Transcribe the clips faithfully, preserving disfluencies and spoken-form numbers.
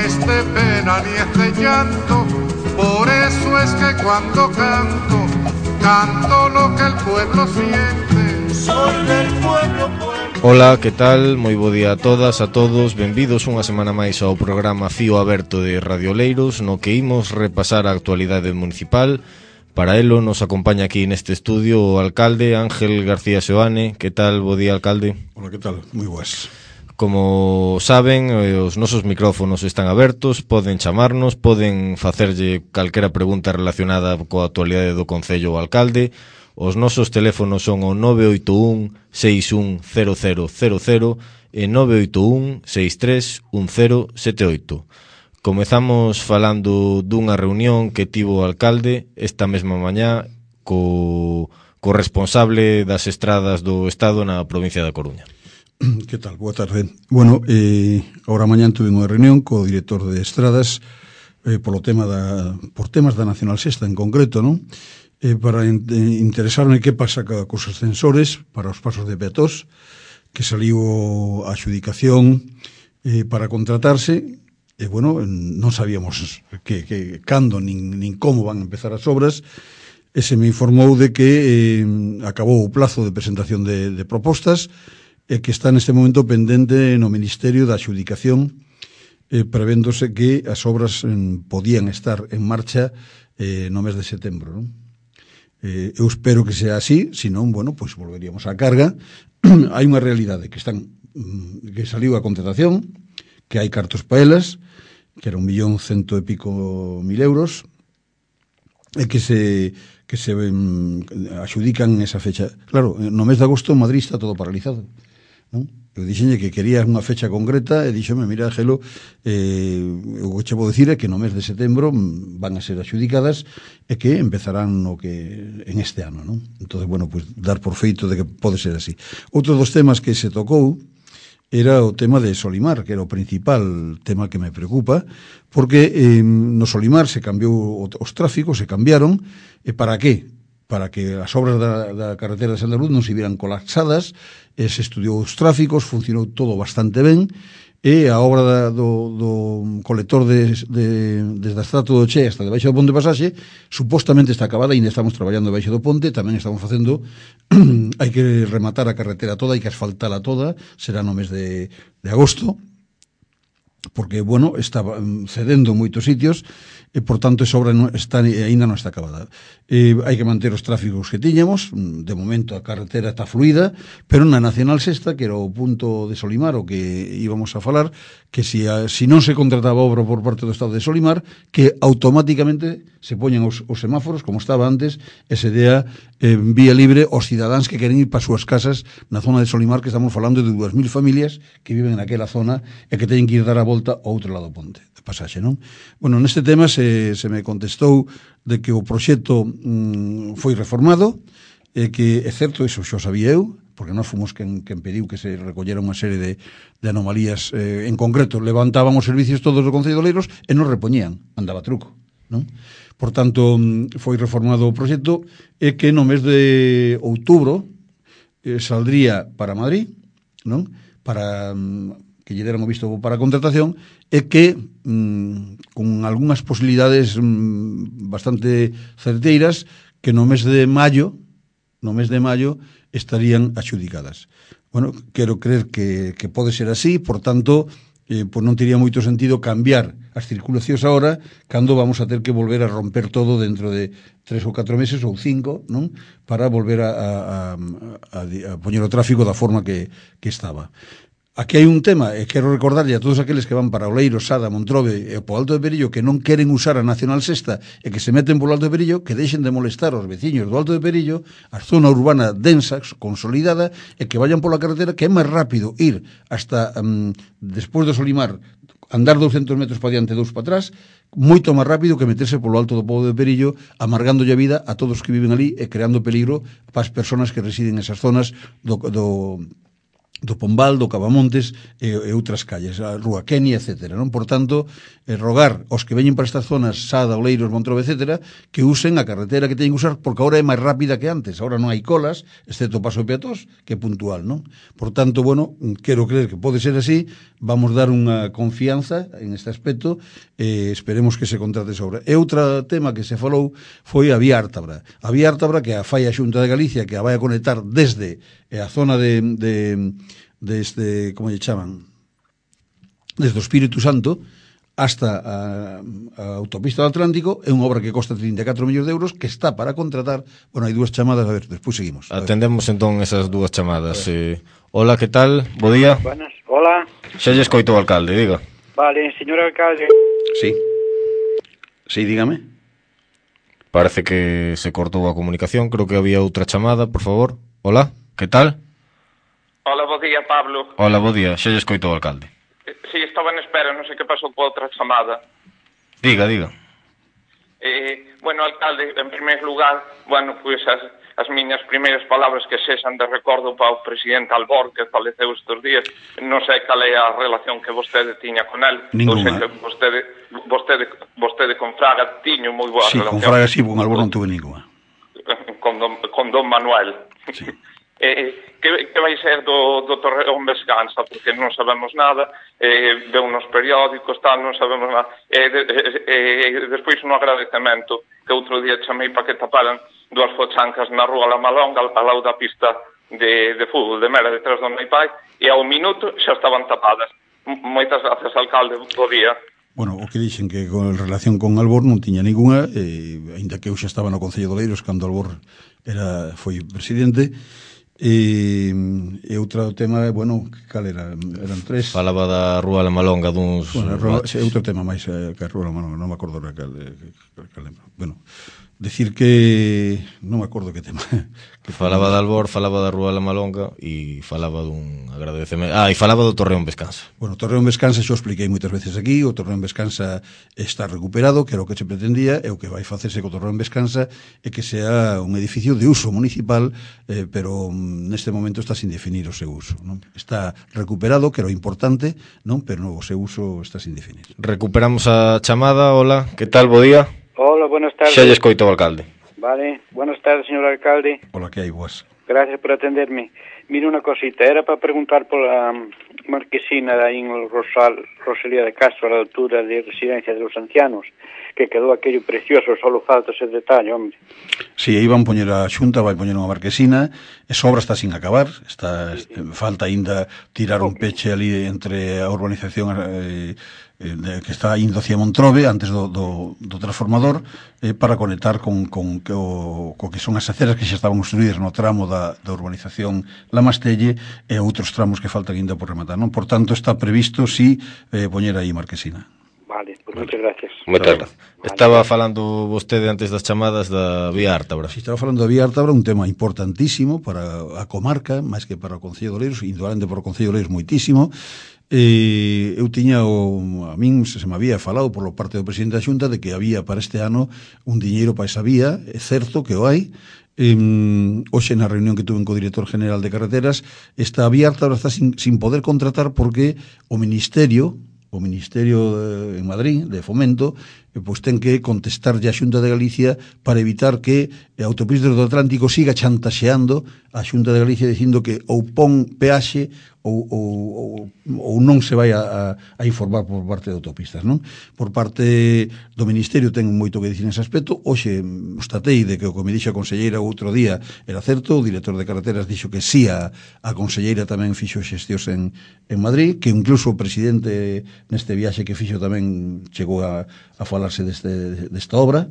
es de pena ni es de llanto, por eso es que cuando canto, canto lo que el pueblo siente. Soy del pueblo, pueblo. Ola, que tal? Moi bo día a todas, a todos. Benvidos unha semana máis ao programa Fío Aberto de Radio Oleiros, no que imos repasar a actualidade municipal. Para elo nos acompaña aquí neste estudio o alcalde Ángel García Seoane. Que tal? Bo día, alcalde. Hola, que tal? Moi boas. Como saben, os nosos micrófonos están abertos, poden chamarnos, poden facerlle calquera pregunta relacionada coa actualidade do Concello ao alcalde. Os nosos teléfonos son o nove oito un seis un cero cero cero cero e nove oito un seis tres un cero sete oito. Comezamos falando dunha reunión que tivo o alcalde esta mesma mañá co, co responsable das estradas do Estado na provincia da Coruña. Que tal? Boa tarde. Bueno, eh, agora mañán tuve unha reunión co director de estradas eh, polo tema da, por temas da Nacional Sexta en concreto, non? Eh, para in, eh, interesarme que pasa ca, cos ascensores para os pasos de peatós, que saliu a adxudicación eh, para contratarse, e, bueno, non sabíamos que, que cando nin, nin como van a empezar as obras, e se me informou de que eh, acabou o plazo de presentación de, de propostas, e que está neste momento pendente no Ministerio da Adxudicación, eh, prevéndose que as obras eh, podían estar en marcha eh, no mes de setembro, non? Eh, eu espero que sea así, senón, bueno, pois pues volveríamos á carga. Hai unha realidade que están que saliu a contratación, que hai cartos pa elas, que era un millón cento e pico mil euros, e que se que se um, axudican esa fecha. Claro, no mes de agosto en Madrid está todo paralizado, non? Eu dixenlle que quería unha fecha concreta e díxome, mira, Gelo, eh, o que che vou dicir é que no mes de setembro van a ser axudicadas e que empezarán no que en este ano, non? Entón, bueno, pues dar por feito de que pode ser así. Outro dos temas que se tocou era o tema de Solimar, que era o principal tema que me preocupa, porque eh, no Solimar se cambiou os tráficos, se cambiaron, e para que? Para que as obras da, da carretera de Santa Luz non se vieran colapsadas, e se estudiou os tráficos, funcionou todo bastante ben, e a obra da, do, do colector de, de, desde a Estrato do Che hasta debaixo do Ponte Pasaxe supostamente está acabada, e ainda estamos traballando debaixo do ponte, tamén estamos facendo hai que rematar a carretera toda, hai que asfaltala toda, será no mes de, de agosto, porque, bueno, está cedendo en moitos sitios, e, por tanto, esa obra non está, ainda non está acabada. E hai que manter os tráficos que tiñamos, de momento a carretera está fluida, pero na Nacional Sexta, que era o punto de Solimar, o que íbamos a falar, que si, a, si non se contrataba obra por parte do Estado de Solimar, que automáticamente se poñen os, os semáforos, como estaba antes, e se dea eh, vía libre aos cidadáns que queren ir para as súas casas na zona de Solimar, que estamos falando de dúas mil familias que viven naquela zona e que teñen que ir dar a volta ao outro lado do ponte de Pasaxe, non? Bueno, neste tema se, se me contestou de que o proxecto mm, foi reformado, e que é certo, iso xo sabía eu, porque nós fomos quen, quen pediu que se recollera unha serie de, de anomalías, eh, en concreto, levantaban os servicios todos do Concello de Oleiros e non repoñían, andaba truco, non? Por tanto, foi reformado o proxecto, e que no mes de outubro eh, saldría para Madrid, non? Para que lle deran o visto para a contratación, e que mmm, con algunhas posibilidades mmm, bastante certeiras, que no mes de maio no mes de maio estarían adxudicadas. Bueno, quero creer que, que pode ser así, por tanto, eh, pues non teria moito sentido cambiar as circulacións agora, cando vamos a ter que volver a romper todo dentro de tres ou catro meses ou cinco, non? Para volver a, a, a, a poñer o tráfico da forma que, que estaba. Aquí hai un tema, e quero recordarlle a todos aqueles que van para Oleiros, Sada, Montrobe e po Alto de Perillo, que non queren usar a Nacional Sexta e que se meten polo Alto de Perillo, que deixen de molestar aos veciños do Alto de Perillo, a zona urbana densa, consolidada, e que vayan pola carretera, que é máis rápido ir hasta um, despois do Solimar, andar douscentos metros para diante e dous para atrás, moito máis rápido que meterse polo Alto do Pobo de Perillo, amargándolle a vida a todos que viven ali e creando peligro para as persoas que residen nesas zonas do, do do Pombal, do Cavamontes e, e outras calles, a Rúa Kenia, etcétera, non? Por tanto, eh, rogar aos que veñen para estas zonas, Sada, Oleiros, Montrobe, etcétera, que usen a carretera que teñen que usar, porque agora é máis rápida que antes, agora non hai colas, excepto o paso de peatós, que é puntual, non? Por tanto, bueno, quero creer que pode ser así, vamos dar unha confianza en este aspecto e esperemos que se contrate esa obra. E outro tema que se falou foi a Vía Ártabra. A Vía Ártabra que a fai a Xunta de Galicia, que a vai a conectar desde a zona de, de, de este, como lle chaman, desde o Espírito Santo hasta a, a autopista do Atlántico. É unha obra que costa trinta e catro millóns de euros, que está para contratar. Bueno, hai dúas chamadas, a ver, despois seguimos. Atendemos entón esas dúas chamadas. Eh, hola, que tal? Bo día. Buenas, hola. Xa lle escoito o alcalde, diga. Vale, señor alcalde. Sí. Sí, dígame. Parece que se cortou a comunicación, creo que había outra chamada, por favor. Hola, que tal? Hola, bo día, Pablo. Hola, bo día, xa lle escoito o alcalde. Sí, estaba en espera, non sei que pasou coa outra chamada. Diga, diga. Eh, bueno, alcalde, en primeiro lugar, bueno, pois as, as miñas primeiras palabras que sexan de recordo para o presidente Albor, que faleceu estes días. Non sei cal é a relación que vostede tiña con él. Ninguna. Non sei que vostede, vostede, vostede con Fraga tiño moi boa Sí, relación. con Fraga sí, con Albor non tuve ninguna. Con don, con don Manuel. Sí. Eh, que, que vai ser do, do Torreón Vescanza, porque non sabemos nada, eh, veu nos periódicos, tal, non sabemos nada. Eh, de, eh, despois un agradecemento que outro día chamei para que taparan dúas fochancas na rúa La Malonga, ao lado da pista de, de fútbol de Mera, detrás do meu pai, e ao minuto xa estaban tapadas. M moitas gracias, alcalde, bo día. Bueno, o que dixen que con relación con Albor non tiña ninguna, eh, ainda que eu xa estaba no Concello de Oleiros cando Albor era, foi presidente. E, e outro tema, bueno, cal era? Eran tres. Falaba da Rúa La Malonga duns... Bueno, rúa, sí, outro tema máis eh, que a Rúa La Malonga, non me acordo cal, cal, cal lembro. Bueno, decir que non me acordo que tema. Que falaba de Albor, falaba da Rúa La Malonga e falaba dun agradecemento. Ah, e falaba do Torreón Vescanza. Bueno, o Torreón Vescanza xo expliquei moitas veces aquí. O Torreón Vescanza está recuperado, que era o que se pretendía, e o que vai facerse co Torreón Vescanza é que sea un edificio de uso municipal, eh, pero neste momento está sin definir o seu uso, non? Está recuperado, que era o importante, non? Pero o seu uso está sin definir. Recuperamos a chamada. Hola, que tal? Bo día. Hola, buenas tardes. Xa lle escoito o alcalde. Vale, buenas tardes, señor alcalde. Hola, que hai, boas. Gracias por atenderme. Mira unha cosita, era para preguntar pola marquesina da in Rosal, Rosalía de Castro, a la altura de Residencia de los Ancianos, que quedou aquello precioso, solo falta ese detalle, hombre. Si, aí van poñer a Xunta, vai poñer unha marquesina, esa obra está sin acabar, está, sí, sí. Falta aínda tirar un peche ali entre a urbanización eh, eh, que está indo hacia Montrobe, antes do, do, do transformador, eh, para conectar con, con co, co que son as aceras que xa estaban construídas no tramo da, da urbanización La Mastelle e outros tramos que faltan aínda por rematar, non? Por tanto, está previsto, si, eh, poñer aí marquesina. Vale, pues vale. Muchas gracias. Moitas gracias. Vale. Estaba falando vostede antes das chamadas da Vía Ártabra. Si, estaba falando da Vía Ártabra, un tema importantísimo para a comarca, máis que para o Concello de Oleiros, indudablemente para o Concello de Oleiros moitísimo. E eu tiña o, a min se me había falado por parte do presidente da Xunta de que había para este ano un diñeiro para esa vía. É certo que o hai. Um, hoxe na reunión que tuve co director general de carreteras, esta Vía Ártabra está sin, sin poder contratar porque o Ministerio o Ministerio de, en Madrid, de Fomento, eh, pois ten que contestarlle a Xunta de Galicia para evitar que a autopista do Atlántico siga chantaxeando a Xunta de Galicia dicindo que ou pon peaxe ou, ou, ou, ou non se vai a, a informar por parte de autopistas, non? Por parte do Ministerio ten moito que dicir nese aspecto. Hoxe estatei de que o que me dixo a conselleira outro día era certo, o director de carreteras dixo que sí, a, a conselleira tamén fixo xestións en, en Madrid, que incluso o presidente neste viaxe que fixo tamén chegou a, a falarse deste, desta obra.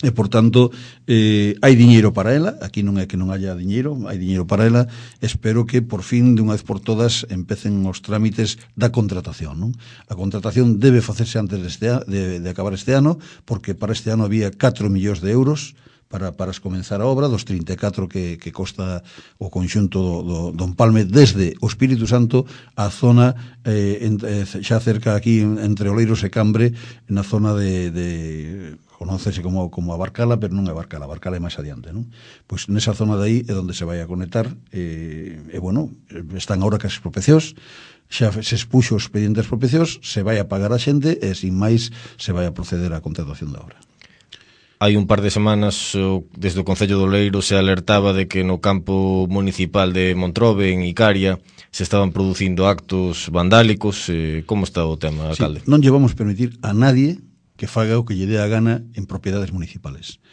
E, por tanto, eh, hai diñeiro para ela. Aquí non é que non haya diñeiro, hai diñeiro para ela. Espero que, por fin, de unha vez por todas, empecen os trámites da contratación, non? A contratación debe facerse antes deste, de, de acabar este ano, porque para este ano había catro millóns de euros para, para comenzar a obra, dos trinta e catro que, que costa o conxunto do, do, do Empalme desde o Espírito Santo á zona eh, en, eh, xa cerca aquí entre Oleiros e Cambre, na zona de... de conócese como, como a Barcala, pero non é Barcala, a Barcala é máis adiante, non? Pois nesa zona de aí é onde se vai a conectar, e, e bueno, están agora que as expropiacións, xa se expuxo os expedientes de expropiacións, se vai a pagar a xente e sin máis se vai a proceder á contratación da obra. Hai un par de semanas desde o Concello de Oleiros se alertaba de que no campo municipal de Montrobe, en Icaria, se estaban producindo actos vandálicos. Eh, como está o tema, alcalde? Sí, non lle vamos permitir a nadie que faga o que lle dé a gana en propiedades municipales.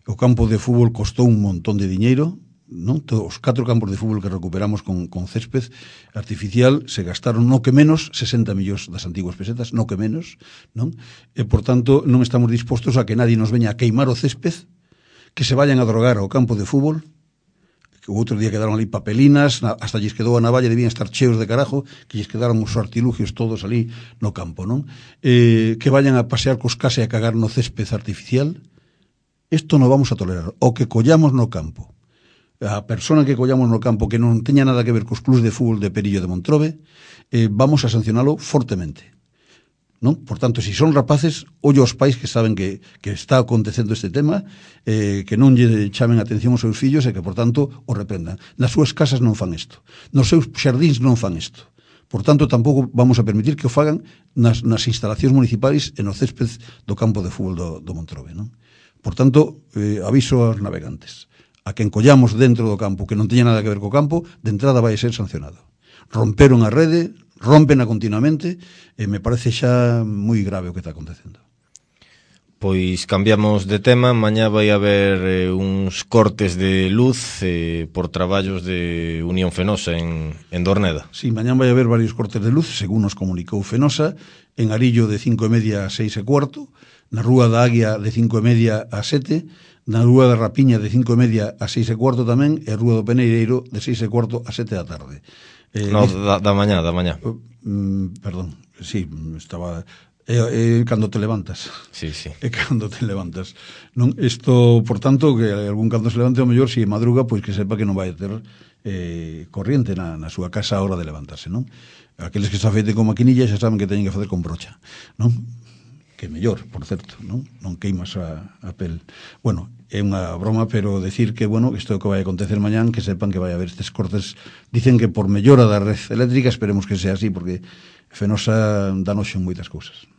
O campo de fútbol costou un montón de diñeiro, non? Todos os catro campos de fútbol que recuperamos con, con césped artificial se gastaron no que menos sesenta millóns das antiguas pesetas, no que menos, non? E, por tanto, non estamos dispostos a que nadie nos veña a queimar o césped, que se vayan a drogar ao campo de fútbol, que o outro día quedaron ali papelinas, hasta lles quedou a navalla, debían estar cheos de carajo, que lles quedaron os artilugios todos ali no campo, non? Eh, que vayan a pasear cos case e a cagar no césped artificial. Isto non vamos a tolerar. O que collamos no campo, a persona que collamos no campo que non teña nada que ver cos clubs de fútbol de Perillo de Montrobe, eh, vamos a sancionalo fortemente, non? Por tanto, si son rapaces, ollo aos pais que saben que, que está acontecendo este tema, eh, que non lle chamen atención aos seus fillos e que, por tanto, o reprendan. Nas súas casas non fan isto, nos seus xardíns non fan isto. Por tanto, tampouco vamos a permitir que o fagan nas, nas instalacións municipais e no césped do campo de fútbol do, do Montrobe, non? Por tanto, eh, aviso aos navegantes. A quen collamos dentro do campo que non teña nada que ver co campo, de entrada vai ser sancionado. Romperon a rede, rompena continuamente, e me parece xa moi grave o que está acontecendo. Pois cambiamos de tema. Mañá vai haber eh, uns cortes de luz eh, por traballos de Unión Fenosa en, en Dorneda. Sí, mañá vai haber varios cortes de luz, según nos comunicou Fenosa, en Arillo de cinco e media a seis e cuarto, na Rúa da Águia de cinco e media a sete, na Rúa da Rapiña de cinco e media a seis e cuarto tamén, e a Rúa do Peneireiro de seis e cuarto a sete da tarde. Eh, no, da, da mañá, da mañá. Uh, mm, perdón, sí, estaba... É, é cando te levantas. Sí, sí. É cando te levantas. Non, isto, por tanto, que algún cando se levante o mellor, se si madruga, pois que sepa que non vai ter eh, corriente na, na súa casa a hora de levantarse, non? Aqueles que se afeiten con maquinilla xa saben que teñen que facer con brocha, non? Que mellor, por certo, non? Non queimas a, a pel. Bueno, é unha broma, pero decir que, bueno, isto que vai acontecer mañán, que sepan que vai haber estes cortes, dicen que por mellora da red eléctrica, esperemos que sea así, porque Fenosa dá noxo en moitas cousas.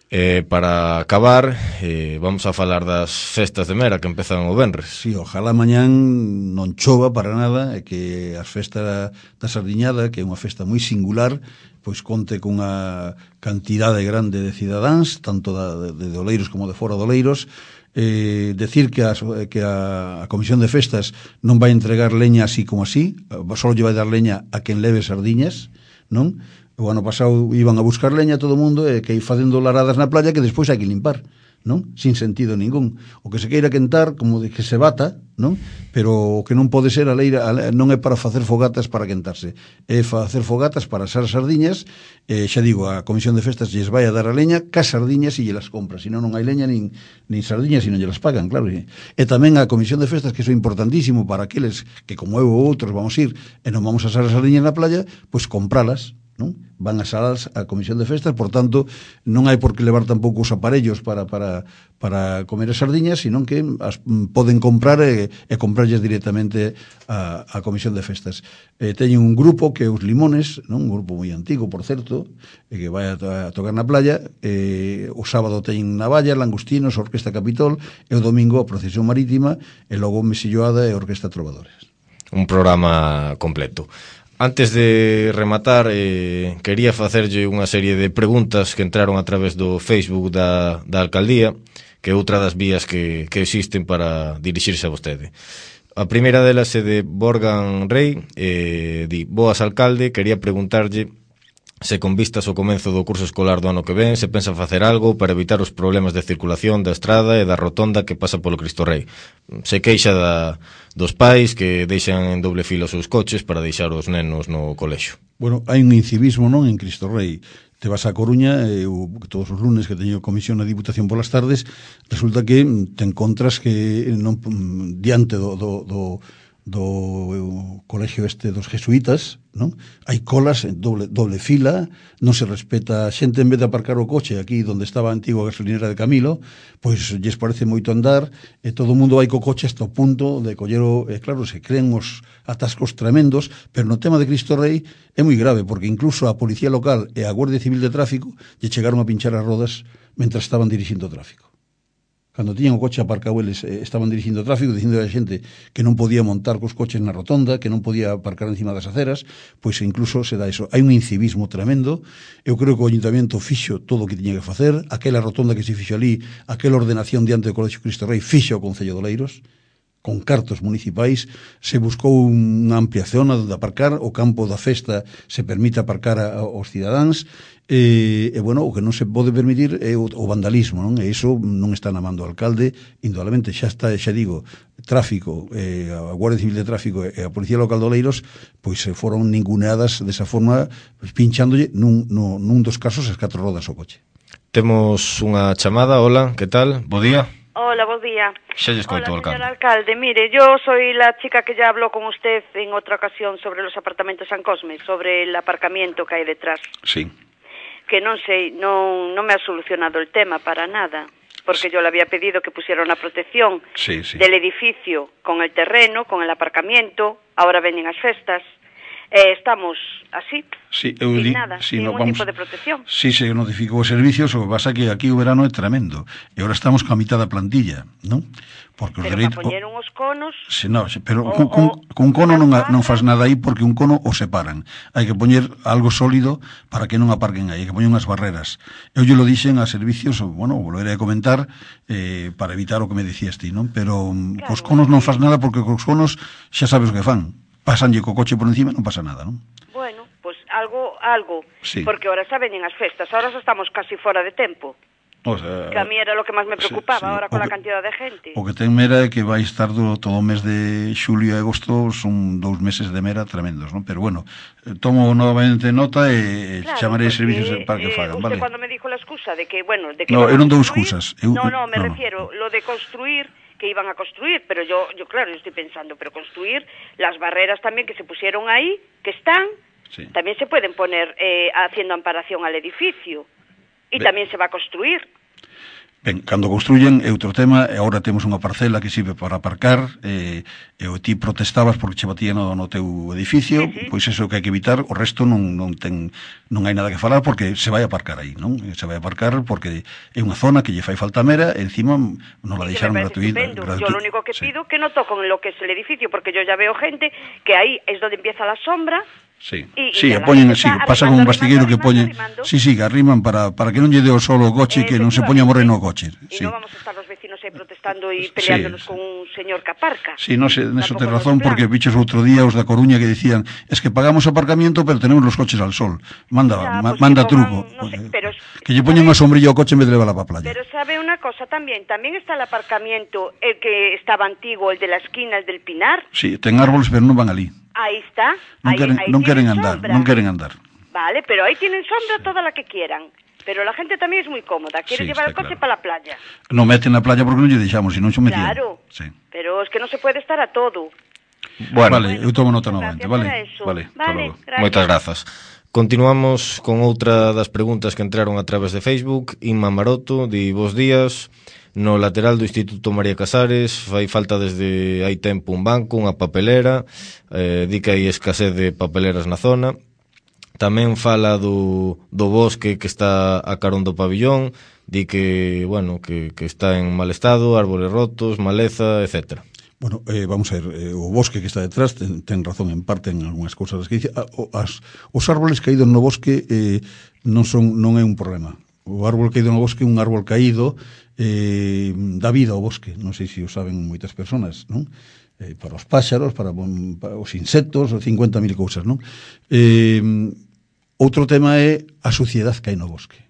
Eh, para acabar, eh, vamos a falar das festas de Mera que empezan o venres. Sí, ojalá mañán non chova para nada, e que as festas da Sardiñada, que é unha festa moi singular, pois conte cunha cantidade grande de cidadáns, tanto da, de, de Oleiros como de fora de Oleiros. Eh, decir que, as, que a, a Comisión de Festas non vai entregar leña así como así, só lle vai dar leña a quen leve sardiñas, non? O ano pasado iban a buscar leña todo o mundo e que facendo laradas na playa que despois hai que limpar, non? Sin sentido ningún. O que se queira quentar, como de que se bata, non? Pero o que non pode ser a leira, a, non é para facer fogatas para quentarse, é facer fogatas para asar sardiñas. E xa digo, a Comisión de Festas lles vai a dar a leña cas sardiñas e lle las compra, senón non hai leña nin, nin sardiñas e non lle las pagan, claro. E, e tamén a Comisión de Festas, que iso é importantísimo para aqueles que como eu ou outros vamos ir e non vamos a asar as sardiñas na playa, pois compralas, non? Van a salas a Comisión de Festas, por tanto, non hai por que levar tampouco os aparellos para, para, para comer as sardiñas, senón que as poden comprar e, e comprarlles directamente a, a Comisión de Festas. Eh, teñen un grupo que é os Limones, non? Un grupo moi antigo, por certo, e que vai a, a tocar na playa. Eh, o sábado teñen Navallas, Langostinos, Orquesta Capitol, e o domingo a Procesión Marítima, e logo Mesilloada e Orquesta Trovadores. Un programa completo. Antes de rematar, eh, quería facerlle unha serie de preguntas que entraron a través do Facebook da, da Alcaldía, que é outra das vías que, que existen para dirixirse a vostede. A primeira delas é de Borgan Rey, eh, di: boas, alcalde, quería preguntarlle se con vistas ao comenzo do curso escolar do ano que ven se pensa facer algo para evitar os problemas de circulación da estrada e da rotonda que pasa polo Cristo Rei. Se queixa da, dos pais que deixan en doble fila os seus coches para deixar os nenos no colexo. Bueno, hai un incivismo, non, en Cristo Rei. Te vas a Coruña, e eu, todos os lunes que teño comisión na Diputación polas tardes, resulta que te encontras que non diante do, do, do do colexio este dos jesuítas, non? Hai colas en doble, doble fila, non se respeta a xente, en vez de aparcar o coche aquí onde estaba a antigua gasolinera de Camilo, pois lles parece moito andar, e todo o mundo vai co coche hasta o punto de coller o, e claro, se creen os atascos tremendos, pero no tema de Cristo Rei é moi grave, porque incluso a Policía Local e a Guardia Civil de Tráfico lle chegaron a pinchar as rodas mentre estaban dirixindo o tráfico. cando tiñan o coche aparcado eles eh, estaban dirigindo o tráfico, dicindo a xente que non podía montar cos coches na rotonda, que non podía aparcar encima das aceras, pois incluso se dá iso. Hai un incivismo tremendo. Eu creo que o Ayuntamiento fixo todo o que tiña que facer, aquela rotonda que se fixo ali, aquela ordenación diante do Colexio Cristo Rei, fixo o Concello de Oleiros, con cartos municipais, se buscou unha ampliación onde aparcar, o campo da festa se permite aparcar a, aos cidadáns, e, e bueno, o que non se pode permitir é o, o vandalismo, non? E iso non está na man do alcalde, indudablemente xa está, xa digo, tráfico, eh, a Guardia Civil de Tráfico e a Policía Local de Oleiros, pois se foron ninguneadas desa forma, pues, pinchándolle nun, no, nun dos casos as catro rodas ao coche. Temos unha chamada. Hola, que tal? Bo día. Hola, buen día. Xa lle escoito, Hola, alcalde. señor alcalde. Mire, yo soy la chica que ya habló con usted en otra ocasión sobre los apartamentos San Cosme, sobre el aparcamiento que hay detrás. Sí. Que non sei, non, non me ha solucionado el tema para nada, porque yo le había pedido que pusiera una protección Sí, sí. del edificio con el terreno, con el aparcamiento, ahora veñen as festas. Eh, estamos así, Sí, eu sin di, nada, sí, sin no, ningún vamos, tipo de protección. Sí, se notificou os servicios, o que pasa que aquí o verano é tremendo. E agora estamos ca mitad da plantilla, non? Porque os Pero dereitos... para poñer uns conos... Se, no, se, pero o, con, con, o, con cono non, barras. non faz nada aí porque un cono o separan. Hai que poñer algo sólido para que non aparquen aí, hai que poñer unhas barreras. Eu lle lo dixen a servicios, bueno, volveré a comentar eh, para evitar o que me dicías ti, non? Pero claro, cos conos non faz nada porque cos conos xa sabes o que fan. Pasanlle co coche por encima, non pasa nada, non? Bueno, pues algo, algo, Sí. porque ahora xa veñen as festas, ahora xa estamos casi fora de tempo, O sea, que a mí era lo que máis me preocupaba, sí, sí. ahora con O la que- cantidad de gente. O que ten mera é que vai estar do, todo o mes de xulio e agosto, son dous meses de mera tremendos, non? Pero bueno, eh, tomo novamente nota e Claro, chamaré porque, servicios para que eh, fagan, usted vale? cuando me dijo la excusa de que, bueno, de que No, iban a eu non dou construir- excusas, eu- no, no, me no, no. refiero, lo de construir, que iban a construir, pero yo, yo claro, yo estoy pensando, pero construir las barreras también que se pusieron ahí, que están, Sí. también se pueden poner eh, haciendo amparación al edificio, y Ve- también se va a construir. Ben, cando construyen é outro tema, e agora temos unha parcela que sirve para aparcar, e, e o ti protestabas porque che batía no, no teu edificio, Sí, sí. pois eso que hai que evitar, o resto non, non ten non hai nada que falar porque se vai aparcar aí, non? Se vai aparcar porque é unha zona que lle fai falta mera, e encima non la Sí, que deixaron me parece gratuita. estupendo. gratu- Yo lo único que sí. pido que no toquen lo que es el edificio, porque yo ya veo gente que ahí es donde empieza la sombra. Sí, Y- y sí, ya e la poñen gente así, está pasa arrimando, con un bastigueiro que arrimando, poñen, arrimando. sí, sí, que arriman para para que non lle dé o sol o coche, que non se poña moreno o coche. Y Sí. no vamos a estar los vecinos ahí protestando y Sí. peleándonos con un señor que aparca. Sí, no sé, neso Tampoco tes nos razón, plan. porque bichos outro día os da Coruña que decían, es que pagamos aparcamiento, pero tenemos los coches al sol. Manda, Ya, ma, pues manda que truco. pongan, no sé, pero es- que lle poñen unha sombrilla ao coche en vez de levar a playa. Pero sabe una cosa también, también está el aparcamiento, el que estaba antiguo, el de la esquina, el del Pinar. Sí, ten árboles, pero non van ali. Ahí está. Non ahí, queren, ahí non tienen queren andar, sombra. non queren andar. Vale, pero ahí tienen sombra toda la que quieran. Pero la gente también es muy cómoda, quiere Sí, llevar el está coche claro. para la playa. Non meten na playa porque non lle deixamos, se non xo metían. Claro, Sí. pero es que no se puede estar a todo. Bueno, Vale, eu tomo nota Muchas novamente, gracias vale? para eso. Vale, hasta Vale, logo. gracias. moitas grazas. Continuamos con outra das preguntas que entraron a través de Facebook. Inma Maroto di: bos días. No lateral do Instituto María Casares fai falta desde hai tempo un banco, unha papelera, eh, di que hai escasez de papeleras na zona. Tamén fala do, do bosque que está a carón do pabillón, di que, bueno, que, que está en mal estado, árboles rotos, maleza, etcétera. Bueno, eh, vamos a ver, eh, o bosque que está detrás ten, ten razón en parte en algunhas cousas que dice. Ah, o, as, os árboles caídos no bosque eh, non son non é un problema. O árbol caído no bosque é un árbol caído, eh, dá vida ao bosque, non sei se o saben moitas persoas, non? Eh, para os páxaros, para, para os insectos, cincuenta mil cousas, non? Eh, outro tema é a suciedade que hai no bosque,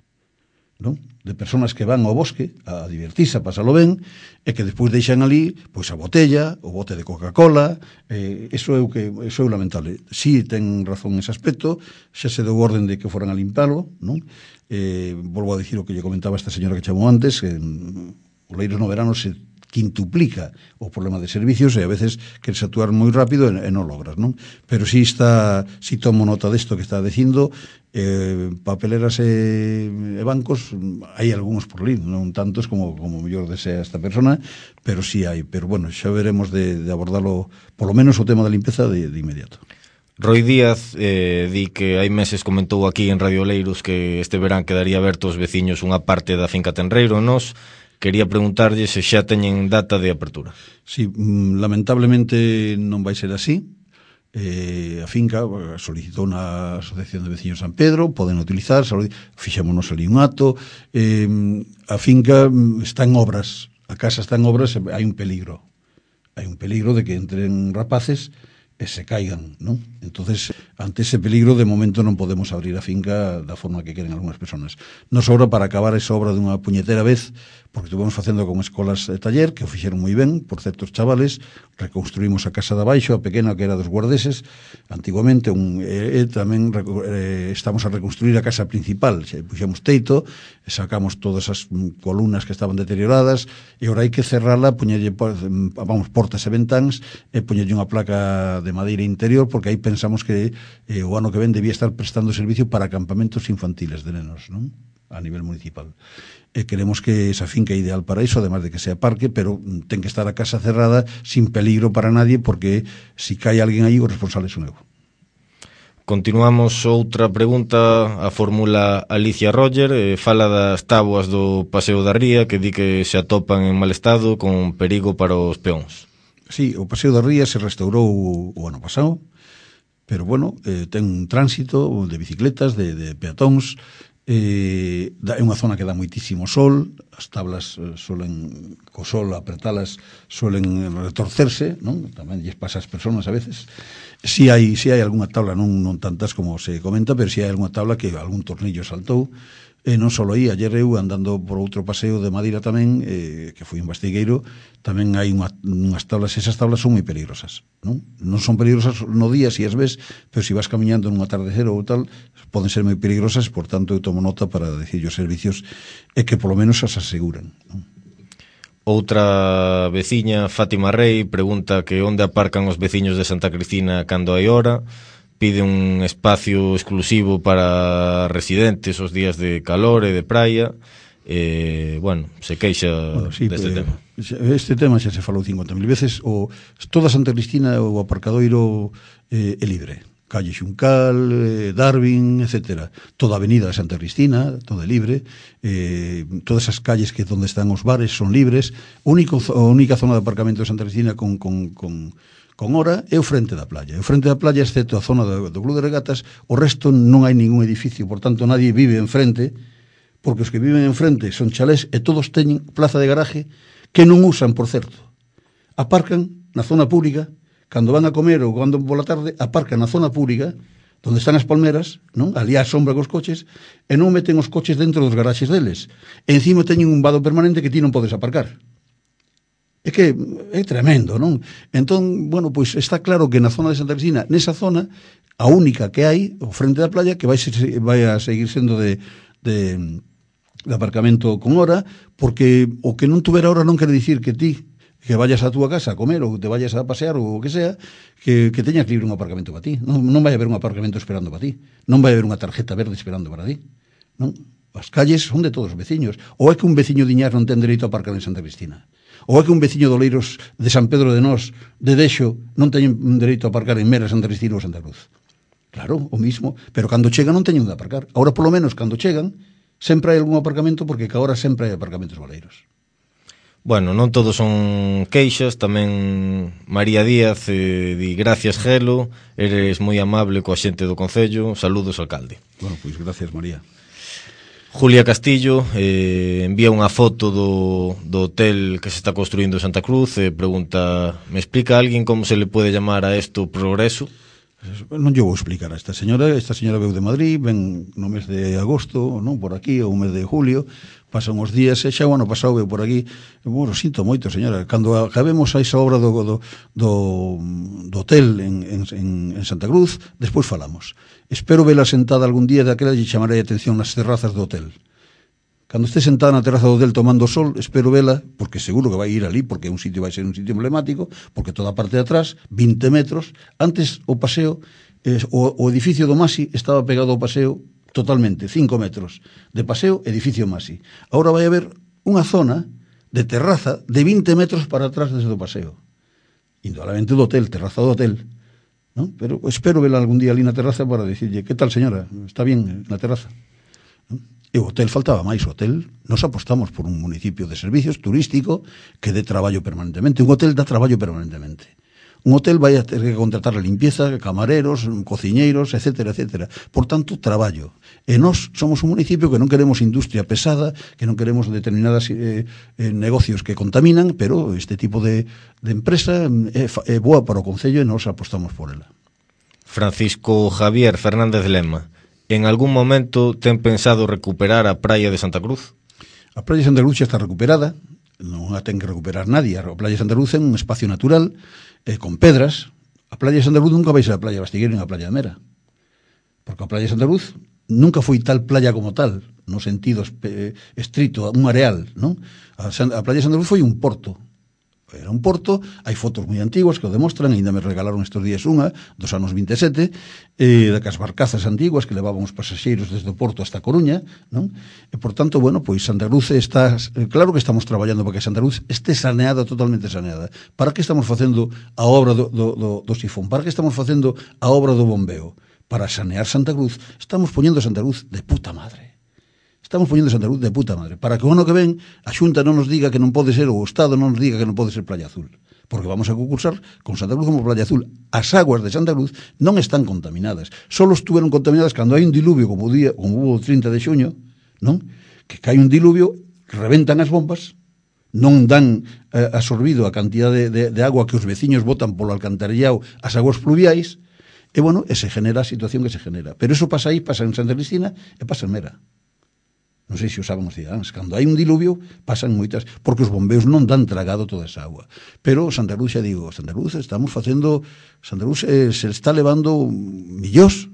non? De persoas que van ao bosque a divertirse, a pasalo ben, e que despois deixan ali pois a botella, o bote de Coca-Cola, eh, eso é o que eso é o lamentable. Si sí, ten razón ese aspecto, xa se deu orden de que foran a limpalo, non? Eh, volvo a dicir o que lle comentaba esta señora que chamou antes, que mm, o Oleiros no verano se quintuplica o problema de servicios e a veces queres actuar moi rápido e, e non logras, non? Pero si está, si tomo nota desto que está dicindo, eh, papeleras e, e bancos, hai algúns por ali, non tantos como como mellor desea esta persona, pero si hai, pero bueno, xa veremos de, de abordarlo, polo menos o tema da limpeza de, de inmediato. Roy Díaz eh, di que hai meses comentou aquí en Radio Oleiros que este verán quedaría aberto aos veciños unha parte da finca Tenreiro. Nos quería preguntarlle se xa teñen data de apertura. Sí, lamentablemente non vai ser así. Eh, a finca solicitou na Asociación de Veciños San Pedro, poden utilizar, fixémonos ali un acto. Eh, a finca está en obras, a casa está en obras, hai un peligro. Hai un peligro de que entren rapaces e se caigan, non? Entonces, ante ese peligro, de momento non podemos abrir a finca da forma que queren algunhas personas. Nos sobra para acabar esa obra dunha puñetera vez, porque estuvemos facendo con escolas de taller, que o fixeron moi ben, por certos chavales, reconstruímos a casa de abaixo, a pequena que era dos guardeses, antiguamente, un, e, e tamén eh, estamos a reconstruir a casa principal, xa puxemos teito, sacamos todas as columnas que estaban deterioradas, e ora hai que cerrala, poñerlle, vamos, portas e ventáns, e poñerlle unha placa de madeira interior, porque aí pensamos que eh, o ano que ven debía estar prestando servicio para campamentos infantiles de nenos, non? A nivel municipal. E queremos que esa finca é ideal para iso, además de que sea parque, pero ten que estar a casa cerrada sin peligro para nadie, porque si cae alguén aí, o responsable son eu. Continuamos outra pregunta, a fórmula Alicia Roger, eh, fala das táboas do Paseo da Ría, que di que se atopan en mal estado con perigo para os peóns. Sí, o Paseo da Ría se restaurou o ano pasado, pero bueno, eh, ten un tránsito de bicicletas, de, de peatóns, eh, é unha zona que dá moitísimo sol, as tablas eh, solen, co sol apretalas, solen retorcerse, non? Tamén lles pasa ás persoas a veces. Si hai, si hai algunha tabla, non, non tantas como se comenta, pero si hai algunha tabla que algún tornillo saltou. E non só aí, ayer eu andando por outro paseo de Madeira tamén, eh, que foi un bastigueiro, tamén hai unha, unhas tablas, esas tablas son moi peligrosas, non? Non son peligrosas no día, si as ves, pero si vas camiñando nun atardecer ou tal, poden ser moi peligrosas, por tanto eu tomo nota para decir os servicios e que polo menos as aseguran, non? Outra veciña, Fátima Rey, pregunta que onde aparcan os veciños de Santa Cristina cando hai hora. Pide un espacio exclusivo para residentes os días de calor e de praia. Eh, bueno, se queixa bueno, sí, deste pues, tema. Este tema xa se falou cincuenta mil veces. O, toda Santa Cristina, o aparcadoiro eh, é libre. Calle Xuncal, eh, Darwin, etcétera. Toda a avenida de Santa Cristina, toda é libre. Eh, todas as calles que donde están os bares son libres. A única zona de aparcamento de Santa Cristina con... con, con con hora é o frente da playa. O frente da playa, excepto a zona do, do Club de Regatas, o resto non hai ningún edificio, por tanto nadie vive en frente, porque os que viven en frente son chalés e todos teñen plaza de garaje que non usan, por certo. Aparcan na zona pública, cando van a comer ou cando pola tarde, aparcan na zona pública, onde están as palmeras, non? Ali á sombra cos coches, e non meten os coches dentro dos garaxes deles. E encima teñen un vado permanente que ti non podes aparcar. É que é tremendo, non? Entón, bueno, pois está claro que na zona de Santa Cristina, nesa zona, a única que hai, o frente da playa, que vai, ser, vai a seguir sendo de, de, de aparcamento con hora, porque o que non tuver hora non quere dicir que ti, que vayas a túa casa a comer ou te vayas a pasear ou o que sea, que, que teñas libre un aparcamento para ti. Non, non vai haber un aparcamento esperando para ti. Non vai haber unha tarjeta verde esperando para ti. Non? As calles son de todos os veciños. Ou é que un veciño de Iñás non ten dereito a aparcar en Santa Cristina? Ou é que un veciño de Oleiros de San Pedro de Nós, de Dexo, non teñen dereito a aparcar en Mera, Santa Cristina ou Santa Cruz? Claro, o mismo, pero cando chegan non teñen de aparcar. Ahora, polo menos, cando chegan, sempre hai algún aparcamento, porque que agora sempre hai aparcamentos baleiros. Bueno, non todos son queixas, tamén María Díaz eh, di gracias, Gelo, eres moi amable coa xente do Concello, saludos, alcalde. Bueno, pois gracias, María. Julia Castillo eh, envía unha foto do, do hotel que se está construindo en Santa Cruz e eh, pregunta, ¿me explica alguén como se le puede llamar a esto progreso? Non lle vou explicar a esta señora. Esta señora veu de Madrid, ven no mes de agosto, non, por aquí, ou o mes de julio, pasan os días, e xa o ano pasado veu por aquí. Bueno, sinto moito, señora, cando acabemos a esa obra do, do, do, do hotel en, en, en Santa Cruz, despois falamos. Espero vela sentada algún día daquela e chamarei a atención nas terrazas do hotel. Cando este sentada na terraza do hotel tomando sol, espero vela, porque seguro que vai ir ali, porque un sitio vai ser un sitio emblemático, porque toda a parte de atrás, vinte metros, antes o paseo, eh, o, o edificio do Masi estaba pegado ao paseo totalmente, cinco metros de paseo, edificio Masi. Ahora vai haber unha zona de terraza de vinte metros para atrás desde o paseo. Indudablemente do hotel, terraza do hotel, ¿no? Pero espero vela algún día ali na terraza para dicirlle, que tal señora, está bien na terraza, ¿no? E o hotel faltaba máis, o hotel Nos apostamos por un municipio de servicios turístico que dé traballo permanentemente. Un hotel dá traballo permanentemente. Un hotel vai a ter que contratar a limpieza, camareros, cociñeiros, etcétera, etcétera. Por tanto, traballo. E nós somos un municipio que non queremos industria pesada, que non queremos determinadas eh, eh, negocios que contaminan, pero este tipo de, de empresa é, é boa para o Concello e nós apostamos por ela. Francisco Javier Fernández Lema, en algún momento ten pensado recuperar a praia de Santa Cruz? A praia de Santa Cruz xa está recuperada, non a ten que recuperar nadie. A praia de Santa Cruz é un espacio natural, eh, con pedras. A praia de Santa Cruz nunca vai ser a praia de Bastigueiro ni a praia de Mera, porque a praia de Santa Cruz nunca foi tal playa como tal, no sentido eh, estrito, un areal, non? A, a praia de Santa Cruz foi un porto. Era un porto, hai fotos moi antiguas que o demostran, ainda me regalaron estes días unha, dos anos vinte e sete, eh, das barcazas antiguas que levaban os pasaxeiros desde o porto hasta Coruña, non? E, por tanto, bueno, pois Santa Cruz está, claro que estamos traballando para que Santa Cruz este saneada, totalmente saneada. Para que estamos facendo a obra do, do, do, do sifón? Para que estamos facendo a obra do bombeo? Para sanear Santa Cruz. Estamos poñendo Santa Cruz de puta madre. Estamos poñendo Santa Cruz de puta madre, para que o ano que ven a Xunta non nos diga que non pode ser, ou o Estado non nos diga que non pode ser Playa Azul, porque vamos a concursar con Santa Cruz como Playa Azul. As aguas de Santa Cruz non están contaminadas, só estuveron contaminadas cando hai un diluvio, como o día, como hubo o trinta de xuño, non? Que cae un diluvio, reventan as bombas, non dan eh, absorbido a cantidad de, de, de agua que os veciños botan polo alcantarillado as aguas pluviais, e bueno, e se genera a situación que se genera. Pero eso pasa aí, pasa en Santa Cristina e pasa en Mera. Non sei se o saben os cidadáns, cando hai un diluvio pasan moitas, porque os bombeos non dan tragado toda esa agua. Pero Santa Cruz, xa digo, Santa Cruz estamos facendo, Santa Cruz eh, se está levando millóns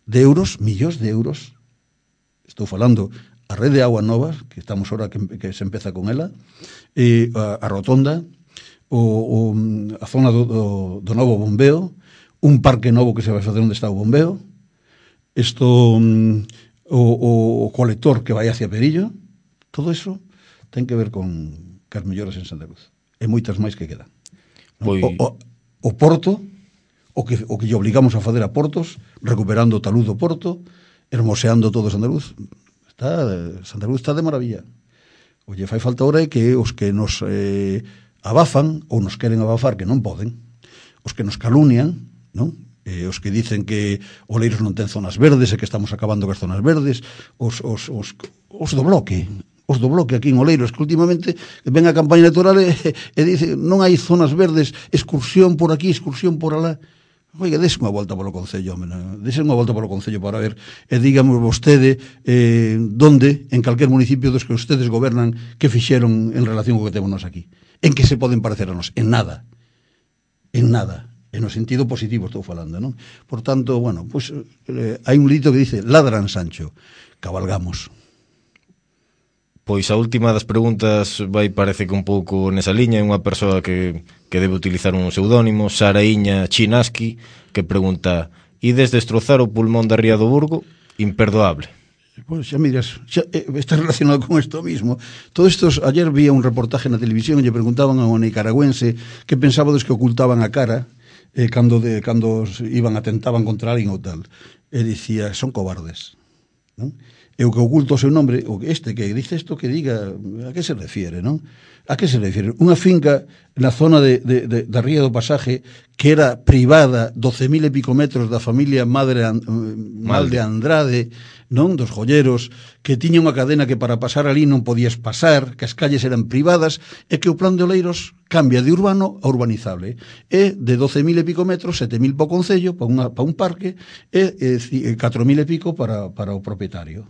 de euros, millóns de euros, estou falando a rede de agua nova, que estamos ahora que, que se empeza con ela, e a, a rotonda, o, o, a zona do, do, do novo bombeo, un parque novo que se vai facer onde está o bombeo, isto... O, o colector que vai hacia Perillo, todo eso ten que ver con cas melloras en Santa Cruz. E moitas máis que quedan. Pois... O, o, o porto, o que, o que lle obligamos a facer a portos, recuperando o talud do porto, hermoseando todo Santa Cruz. Está, Santa Cruz está de maravilla. O lle fai falta ahora é que os que nos eh, abafan, ou nos queren abafar, que non poden, os que nos calunian, non? Eh, os que dicen que Oleiros non ten zonas verdes e que estamos acabando con as zonas verdes, os, os, os, os do bloque, os do bloque aquí en Oleiros, que últimamente ven a campaña electoral e, e dice non hai zonas verdes, excursión por aquí, excursión por alá. Oiga, dese unha volta polo Concello, dese unha volta polo Concello para ver, e dígame vostede eh, donde, en calquer municipio dos que ustedes gobernan, que fixeron en relación co que temos nos aquí. En que se poden parecer a nos? En nada. En nada. En o sentido positivo estou falando, non? Por tanto, bueno, pues, eh, hai un dito que dice ladran Sancho, cabalgamos. Pois a última das preguntas vai parece que un pouco nesa liña, é unha persoa que, que debe utilizar un pseudónimo, Saraíña Chinaski, que pregunta: ides destrozar o pulmón da Ría do Burgo? Imperdoable. Pois xa miras, xa, eh, está relacionado con isto mismo. Todos estos, ayer vi un reportaje na televisión e lle preguntaban a un nicaragüense que pensaba dos que ocultaban a cara eh, cando, de, cando iban atentaban contra alguén ou tal. E dicía, son cobardes, non? E o que oculta o seu nombre, o este que dice isto, que diga a que se refiere, non? A que se refiere? Unha finca na zona de, de, de, da Ría do Pasaje que era privada, doce mil e pico metros da familia Madre An, Mal de Andrade, non? Dos joyeros, que tiña unha cadena que para pasar ali non podías pasar, que as calles eran privadas, e que o plan de Oleiros cambia de urbano a urbanizable. E de doce mil e pico metros, sete mil para o Concello, para, unha, para un parque, e, e catro mil e pico para, para o propietario.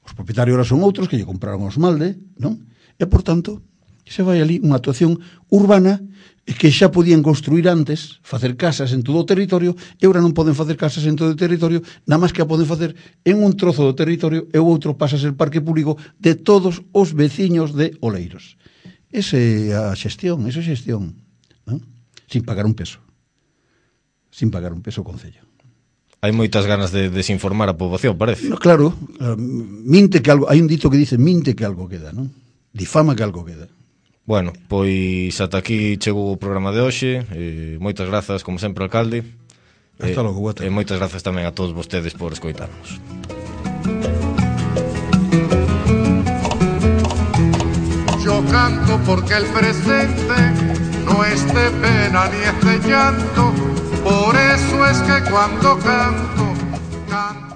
Os propietarios ahora son outros que lle compraron os Malde, non? E, por tanto, se vai ali unha actuación urbana que xa podían construir antes, facer casas en todo o territorio, e agora non poden facer casas en todo o territorio, nada máis que a poden facer en un trozo do territorio, e o outro pasa a ser parque público de todos os veciños de Oleiros. Esa é a xestión, esa é a xestión, non? Sin pagar un peso. Sin pagar un peso ao Concello. Hai moitas ganas de desinformar a poboación, parece. No, claro, minte que algo, hai un dito que dice minte que algo queda, non? Difama que algo queda. Bueno, pois ata aquí chegou o programa de hoxe. Eh, moitas grazas, como sempre, alcalde. Hasta logo, boa tarde. E moitas grazas tamén a todos vostedes por escoitarnos. canto porque el presente no es de pena ni es de llanto. Por eso es que cuando canto, canto.